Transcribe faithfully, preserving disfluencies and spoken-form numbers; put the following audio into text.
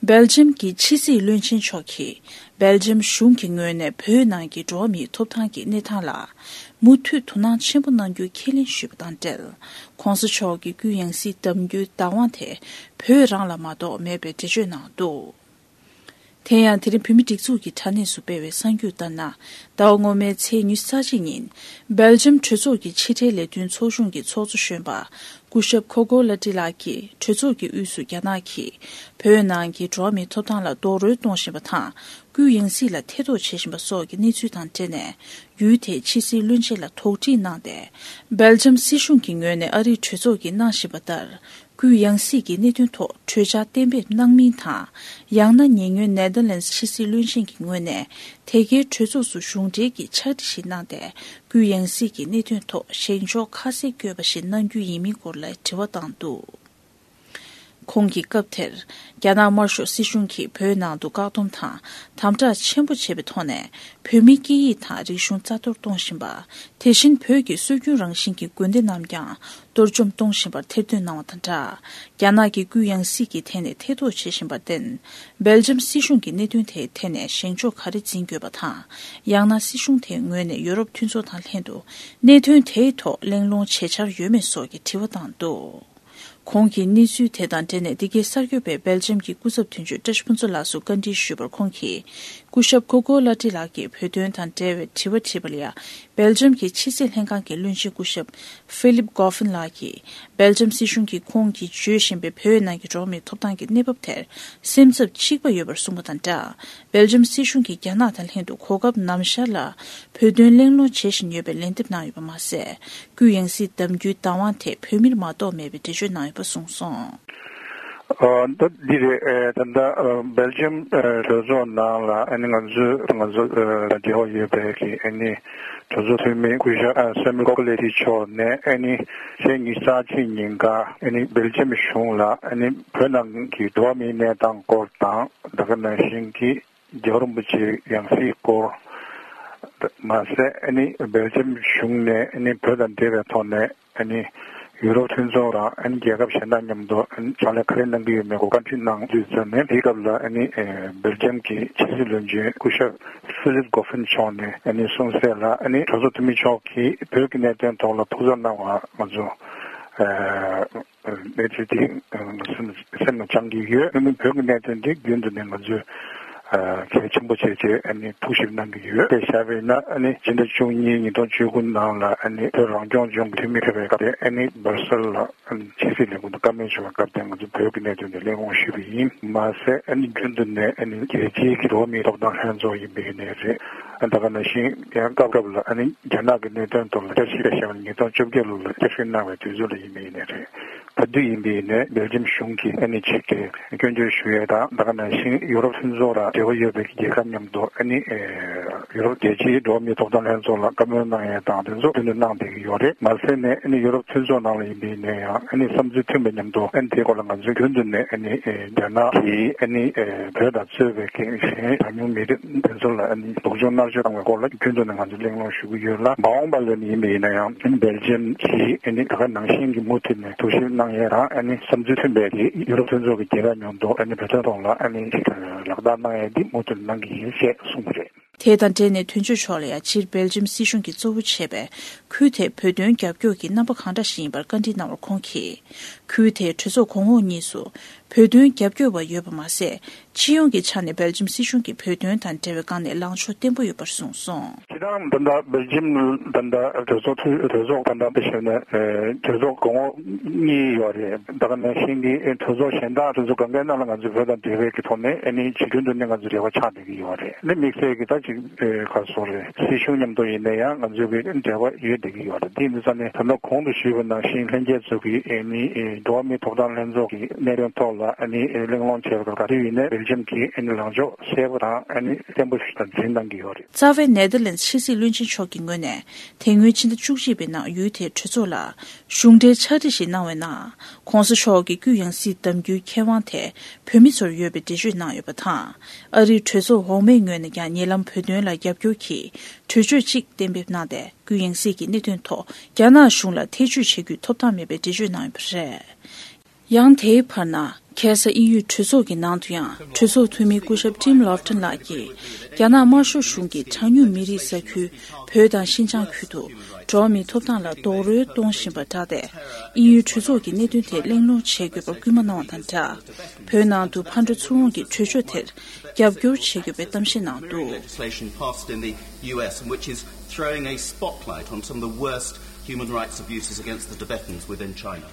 སྦེལ་ཇམ་གྱི་ཕྱི་སྲིད་བློན་ཆེན་མཆོག་གིས་སྦེལ་ཇམ་གཞུང་གི་ངོས་ནས་བོད་ནང་གི་འགྲོ་བ་མིའི་ཐོབ་ཐང་གི་གནས་སྟངས་ལ་མུ་མཐུད་དོ་སྣང་ཆེན་པོ་གནང་རྒྱུ་ཁས་ལེན་ཞུས་པ་དང་འབྲེལ། ྋགོང་ས་མཆོག་གི་སྐུའི་ཡང་སྲིད་གདམ་རྒྱུའི་བདག་དབང་དེ་བོད་རང་ལ་མ་གཏོགས་མེད་པའི་འགྲེལ་བརྗོད་གནང་འདུག་དེ་ཡང་དེ་རིང་བོད་མིའི་སྒྲིག་འཛུགས་ཀྱི་དྲ་གནས་སུ་སྤེལ་བའི་གསར་འགྱུར་ལྟར་ན། ཟླ་བ་སྔོན་མའི་ཚེས་ཉི་ཤུ་རྩ་གཅིག་ཉིན་སྦེལ་ཇམ་གྲོས་ཚོགས་ཀྱི་ཕྱི་འབྲེལ་ལས་དོན་ཚོགས་ཆུང་གི་ཚོགས་གཙོ་གཞོན་པ་སྐུ་ཞབས་ཁོ་གོ་ལ་ཏི་ལགས་ཀྱིས་གྲོས་ཚོགས་ཀྱི་དབུས་སུ་རྒྱ་ནག་གིས་བོད་ནང་གི་འགྲོ་བ་མིའི་ཐོབ་ཐང་ལ་རྡོག་རོལ་གཏོང་བཞིན་པ་དང་། སྐུའི་ཡང་སྲིད་ལ་ཐེ་གཏོགས་བྱེད་བཞིན་པ་སོགས་ཀྱི་གནས་ཚུལ་དང་འབྲེལ་ནས། ཡུལ་དེའི་ཕྱི་སྲིད་བློན་ཆེན་ལ་དོགས་འདྲི་གནང་སྟེ། སྦེལ་ཇམ་སྲིད་གཞུང་གི་ངོས་ནས་ཨ་རིའི་གྲོས་ཚོགས་ཀྱིས་གནང་བཞིན་པ་ལྟར། སྐུའི་ཡང་སྲིད་ཀྱི་གནད་དོན་ཐོག་གྲོས་འཆར་གཏན་འབེབས་གནང་མིན་དང་། ཡང་ན་ཉེ་སྔོན་ནེ་དར་ལེནྜ་ཕྱི་སྲིད་བློན་ཆེན་གྱི་ངོས་ནས་དེ་གའི་གྲོས་ཚོགས་སུ་གཞུང་འབྲེལ་གྱི་ཕྱག་བྲིས་ཤིག་གནང་སྟེ། སྐུའི་ཡང་སྲིད་ཀྱི་གནད་དོན་ཐོག་བཞེངས་ཕྱོགས་ཁ་གསལ་བཀོད་པ་ཞིག་གནང་རྒྱུ་ཡིན་མིན་སྐོར་ལ་དྲི་བ་བཏང་འདུག་ཁོང་གིས་སྐབས་དེར། རྒྱ་ནག་དམར་ཤོག་སྲིད་གཞུང་གིས་བོད་ནང་དུ་བཀག་སྡོམ་དང་། དམ་དྲག་ཆེན་པོ་བྱས་པའི་ཐོག་ནས། བོད་མིའི་སྐད་ཡིག་དང་རིག་གཞུང་རྩ་གཏོར་གཏོང་བཞིན་པ། དེ་བཞིན་བོད་ཀྱི་སྲོལ་རྒྱུན་རང་བཞིན་གྱི་དགོན་སྡེ་རྣམས་ཀྱང་གཏོར་བཅོམ་གཏོང་བཞིན་པར་ཐེར་འདོན་གནང་བ་དང་སྦྲགས། རྒྱ་ནག་གིས་སྐུའི་ཡང་སྲིད་ཀྱི་ཐད་ནས་ཐེ་གཏོགས་བྱེད་བཞིན་པར་བརྟེན། སྦེལ་ཇམ་སྲིད་གཞུང་གིས་གནད་དོན་དེའི་ཐད་ནས་བཞེངས་ཕྱོགས་ག་རེ་འཛིན་དགོས་པ་དང་། ཡང་ན་སྲིད་གཞུང་དེའི་ངོས་ནས་ཡོ་རོབ་མཐུན་ཚོགས་དང་ལྷན་དུ་གནད་དོན་དེའི་ཐོག་གླེང་སློང་བྱེད་འཆར་ཡོད་མེད་སོགས་ཀྱི་དྲི་བ་བཏང་འདུག་ཁོང་གིས་གནས་ཚུལ་དེ་དང་འབྲེལ་ནས། འདི་གའི་གསར་འགོད་པས་སྦེལ་ཇམ་གྱི་སྐུ་ཚབ་དོན་གཅོད་བཀྲ་ཤིས་ཕུན་ཚོགས་ལགས་སུ་བཀའ་འདྲི་ཞུས་པར། ཁོང་གིས་སྐུ་ཞབས་ཁོ་གོ་ལ་ཏི་ལགས་ཀྱིས་བོད་དོན་དང་འབྲེལ་བའི་དྲི་བ་དྲིས་པ་ལ། ཡང་སྦེལ་ཇམ་གྱི་ཕྱི་སྲིད་ལྷན་ཁང་གི་བློན་ཆེན་སྐུ་ཞབས་ཧྥི་ལིབ་གོ་ཕིན་ལགས་ཀྱིས། སྦེལ་ཇམ་སྲིད་གཞུང་གིས་ཁོང་གིས་བརྗོད་བཞིན་པའི་བོད་ནང་གི་འགྲོ་བ་མིའི་ཐོབ་ཐང་གི་གནས་བབ་དེར་སེམས་འཚབ་གཅིག་པ་ཡོད་པར་གསུངས་པ་དང་སྦྲགས། སྦེལ་ཇམ་སྲིད་གཞུང་གིས་རྒྱ་ནག་དང་ལྷན་དུ་གོ་སྐབས་ནམ་ཞར་ལ་བོད་དོན་གླེང་སློང་བྱེད་བཞིན་ཡོད་པའི་ལན་འདེབས་གནང་ཡོད་པ་མ་ཟད། སྐུའི་ཡང་སྲིད་གདམ་རྒྱུའི་བདག་དབང་དེ་བོད་མིར་མ་གཏོགས་མེད་པའི་འགྲེལ་བརྗོད་གནང་ཡོད་པ་གསུངས་སོང་། ཨ། ད་འདི་རེད། ཨེ། ད་ལྟ་ཨ་སྦེལ་ཇམ་ཨ་གྲོས་ཚོགས་ནང་ལ་ཨ་ནི་ང་ཚོས་ང་ཚོ་ཨ་འབྲེལ་བ་ཡོད་པའི་གི་ཨ་ནི་གྲོས་ཚོགས་འཐུས་མི་སྐུ་ཞབས་ཨ་སེ་མུ་ཀོ་ལེ་ཏི་མཆོག་ནས་ཨ་ནི་ཚེས་ཉི་ཤུ་རྩ་གཅིག་ཉིན་ཀ་ཨ་ནི་སྦེལ་ཇམ་གཞུང་ལ་ཨ་ནི་བོད་ནང་གི་འགྲོ་བ་མིའི་གནས་སྟངས་སྐོར་དང་། ད་ག་ནང་བཞིན་གྱི་རྒྱལ་བ་རིན་པོ་ཆེའི་ཡང་སྲིད་སྐོར། མ་ཟད་ཨ་ནི་སྦེལ་ཇམ་གཞུང་ནས་ཨ་ནི་བོད་དང་འབྲེལ་བའི་ཐོག་ནས་ཨ་ནི་ཡུ་རོབ་མཐུན་ཚོགས་དང་ཨ་ནི་རྒྱལ་ཁབ་གཞན་དང་མཉམ་དུ་ཨ་ནི་ཕྱག་ལས་ག་རེ་གནང་གི་ཡོད་མེད་སྐོར་བཀའ་འདྲི་གནང་དུས་ཙམ་ནས། དེའི་སྐབས་ལ་ཨ་ནི་ཨེ་སྦེལ་ཇམ་གྱི་ཕྱི་སྲིད་བློན་ཆེན་སྐུ་ཞབས་ཧྥི་ལིབ་གོ་ཕིན་མཆོག་ནས་ཨ་ནི་གསུངས་གསལ་ལ། ཨ་ནི་གྲོས་ཚོགས་འཐུས་མི་མཆོག་གིས་བོད་ཀྱི་གནད་དོན་ཐོག་ལ་ཐུགས་འཚབ་གནང་བ་ང་ཚོ་ཨ་གནས་ཚུལ་དེ་ང་ཚོ་སེམས་ལ་བཅངས་ཀྱི་ཡོད། ཨ་ནི་བོད་ཀྱི་གནད་དོན་དེ་རྒྱུན་དུ་ནས་ང་ཚོས་ཨ་གལ་ཆེན་པོ་བྱས་བྱས་ཨ་ནི་ཐུགས་ཞིབ་གནང་གི་ཡོད། དཔེ་བཞག་པ་ཡིན་ན། ཨ་ནི་ཕྱི་ཟླ་བཅུ་གཉིས་ཉིས་སྟོང་བཅུ་དགུ་ནང་ལ་ཨ་ནི་བོད་རང་སྐྱོང་ལྗོངས་ཀྱི་འཐུས་མི་ཕེབས་པའི་སྐབས་དེ། ཨ་ནི་སྦར་སེལ་ལ་ཨ་ནི་ཕྱི་སྲིད་ལས་ཁུངས་དུ་བཀའ་མོལ་ཞུ་བའི་སྐབས་དེ་ང་ཚོ་བོད་ཀྱི་གནད་དོན་དེ་གླེང་སློང་ཞུས་པ་ཡིན། མ་ཟད་ཨ་ནི་རྒྱུན་དུ་ནས་ཨ་ནི་རྒྱལ་སྤྱིའི་གི་འགྲོ་བ་མིའི་ཐོབ་ཐང་ལྷན་ཚོགས་ཡིན་པའི་གནས་རེད། ད་ག་ནང་བཞིན་ཡང་སྐབས་སྐབས་ལ་ཨ་ནི་རྒྱ་ནག་གི་གནད་དོན་ཐོག་ལ་བསྐྱར་ཞིབ་བྱས་པ་ཉིས་སྟོང་བཅོ་བརྒྱད་ལོ་ལ་བསྐྱར་ཞིབ་གནང་བའི་དུས་ཚོད་ལ་ཡིན་པའི་གནས་རེད། ད་དུས་ཡིན་པའི་ནས་སྦེལ་ཇམ་གཞུང་གིས་ཨ་ནི་ཅིག་གི་སྐྱོན་བརྗོད་ཞུ་ཡས་དང་། ད་ག་ནང་བཞིན་ཡུ་རོབ་མཐུན་ཚོགས་དང་འབྲེལ་བ་ཡོད་པའི་རྒྱལ་ཁབ་མཉམ་དུ་ཨ་ནི་ཨེ་ཡུ་རོབ་རྒྱལ་སྤྱིའི་འགྲོ་བ་མིའི་ཐོབ་ཐང་ལྷན་ཚོགས་ལ་བཀའ་མོལ་གནང་ཡས་དང་དེ་ཚོ་རྒྱུན་དུ་གནང་བསྡད་ཀྱི་ཡོད་རེད། མ་ཟད་ནས་ཨ་ནི་ཡུ་རོབ་མཐུན་ཚོགས་ནང་ལ་ཡིན་པའི་ནས་ཡང་ཨ་ནི་བསམ་ཚུལ་མཐུན་པའི་མཉམ་དུ་ཨ་ནི་དེའི་སྐོར་ལ་ང་ཚོས་རྒྱུན་དུ་ནས་ཨ་ནི་ཨེ་རྒྱ་ནག་གིས་ཨ་ནི་ཨེ་བོད་དང་གཙོས་པའི་གི་གཞན་གྲངས་ཉུང་མི་རིགས་དེ་ཚོ་ལ་ཨ་ནི་སྡུག་སྦྱོང་མནར་གཅོད་བཏང་བའི་སྐོར་ལ་རྒྱུན་དུ་ནས་ང་ཚོས་གླེང་སློང་ཞུ་གི་ཡོད་ལ། མ་འོངས་པ་ལ་ནི་ཡིན་པ་ཡིན་ན་ཡང་སྦེལ་ཇམ་གྱིས་ཨ་ནི་ད་ག་ནང་བཞིན་གྱི་མུ་མཐུད་ནས་ཐུགས་ཞིབ་གནང་ཡས་དང་། ཨ་ནི་བསམ་ཚུལ་མཐུན་པའི་ཡུ་རོབ་མཐུན་ཚོགས་ཀྱི་རྒྱལ་ཁབ་མཉམ་དུ་ཨ་ནི་བོད་དོན་ཐོག་ལ་ཨ་ནི་ལག་བསྟར་གནང་ཡས་འདི་མུ་མཐུད་གནང་གི་ཡིན་ཞེས་གསུངས་པ་རེད། དེ་དང་འབྲེལ་ནས་དོན་གཅོད་མཆོག་ལ་ཡང་སྤྱིར་སྦེལ་ཇམ་སྲིད་གཞུང་གིས་གཙོ་བོ་བྱས་པའི་ཁུལ་དེའི་བོད་དོན་རྒྱབ་སྐྱོར་གྱི་རྣམ་པ་གང་འདྲ་ཞིག་ཡིན་པར་བཀའ་འདྲི་གནང་བར། ཁོང་གིས། ཁུལ་དེའི་གྲོས་ཚོགས་གོང་འོག་གཉིས་སུ་བོད་དོན་རྒྱབ་སྐྱོར་བ་ཡོད་པ་མ་ཟད། སྤྱི་ཡོངས་ཀྱི་ཆ་ནས་སྦེལ་ཇམ་སྲིད་གཞུང་གིས་བོད་དོན་དང་འབྲེལ་བའི་སྒང་ནས་ལངས་ཕྱོགས་བརྟན་པོ་ཡོད་པར་གསུངས་སོང་། སྤྱིར་བཏང་ད་ལྟ་སྦེལ་ཇམ་ད་ལྟ་གྲོས་ཚོགས་འཐུས་གྲོས་ཚོགས་ད་ལྟ་དཔེ་བཞག་ན་ཨེ་གྲོས་ཚོགས་གོང་འོག་གཉིས་ཡོད་རེད། ད་ག་ནང་བཞིན་གྱི་ཨེ་གྲོས་ཚོགས་གཞན་དག་གྲོས་ཚོགས་གང་གའི་ནང་ལ་ང་ཚོས་བོད་དང་འབྲེལ་བའི་གི་ཐོག་ནས་ཨ་ནི་ཇི་རྒྱུན་དུ་ནས་ང་ཚོས་འབྲེལ་བ་ཆགས་བསྡད་ཀྱི་ཡོད་རེད། ཨ་ནི་དམིགས་བསལ་གྱི་ད་ཅིག་ཨེ་ག་སོ་རེད། སྲིད་གཞུང་མཉམ་དུ་ཡིན་ན་ཡང་ང་ཚོའི་གི་འབྲེལ་བ་ཡོད་བསྡད་ཀྱི་ཡོད་རེད། དེ་ཡིན་དུས་ཙང་ནས་ད་ལྟ་གོང་དུ་ཞུས་པ་ནང་བཞིན་ལྷན་རྒྱས་ཚོ་གིས་ཨ་ནི་ཨེ་འགྲོ་བ་མིའི་ཐོབ་ཐང་ལྷན་ཚོགས་ཀྱི་གནད་དོན་ཐོག་ལ་ཨ་ནི་ཨེ་གླེང་སློང་བྱས་པ་ག་དུས་ཡིན་ནའི་སྦེལ་ཇམ་གྱིས་ཨ་ནི་ལངས་ཕྱོགས་གསལ་པོ་དང་ཨ་ནི་བརྟན་པོ་ཞིག་དང་འཛིན་གནང་གི་ཡོད་རེད། རྩ་བའི་ནེ་དར་ལེནྜ་ཕྱི་སྲིད་བློན་ཆེན་མཆོག་གི་ངོས་ནས་དེ་སྔོན་ཕྱི་ཟླ་བཅུ་གཅིག་པའི་ནང་ཡུལ་དེའི་གྲོས་ཚོགས་ལ་གཞུང་འབྲེལ་ཕྱག་བྲིས་ཤིག་གནང་བའི་ནང་། ྋགོང་ས་མཆོག་གི་སྐུའི་ཡང་སྲིད་གདམ་རྒྱུའི་ཁེ་དབང་དེ་བོད་མི་ཚོར་ཡོད་པའི་འགྲེལ་བརྗོད་གནང་ཡོད་པ་དང་། ཨ་རིའི་གྲོས་ཚོགས་འོག་མའི་ངོས་ནས་ཀྱང་ཉེ་ལམ་བོད་དོན་ལ་རྒྱབ་སྐྱོར་གྱི་གྲོས་ཆོད་ཅིག་གཏན་འབེབས་གནང་སྟེ། སྐུའི་ཡང་སྲིད་ཀྱི་གནད་དོན་ཐོག་རྒྱ་ནག་གཞུང་ལ་ཐེ་བྱུས་བྱེད་རྒྱུའི་ཐོབ་ཐང་མེད་པའི་འགྲེལ་བརྗོད་གནང་ཡོད་པ་རེད། ཡང་དེའི་བར་ན། ཁ་སང་དབྱིན་ཡུལ་གྲོས་ཚོགས་ཀྱི་ནང་དུ་ཡང་གྲོས་ཚོགས་འཐུས་མི་སྐུ་ཞབས་ཊིམ་ལོབ་ཊོན་ལགས་ཀྱིས། རྒྱ་ནག་དམར་ཤོག་གཞུང་གིས་གྲངས་ཉུང་མི་རིགས་ས་ཁུལ་བོད་དང་ཤིན་ཅང་ཁུལ་དུ་འགྲོ་བ་མིའི་ཐོབ་ཐང་ལ་རྡོག་རོལ་གཏོང་བཞིན་པར་བསྒྲགས་ཏེ། དབྱིན་ཡུལ་གྲོས་ཚོགས་ཀྱིས་གནད་དོན་དེ་གླེང་སློང་བྱེད་དགོས་པར་སྐུལ་མ་གནང་བ་དང་སྦྲགས། བོད་ནང་དུ་ཕར་འགྲོ་ཚུར་འོང་གི་གྲོས་ཆོད་དེར་རྒྱབ་སྐྱོར་བྱེད་དགོས་པའི་གཏམ་བཤད་གནང་འདུག། Legislation passed in the U S, and which is throwing a spotlight on some of the worst human rights abuses against the Tibetans within China.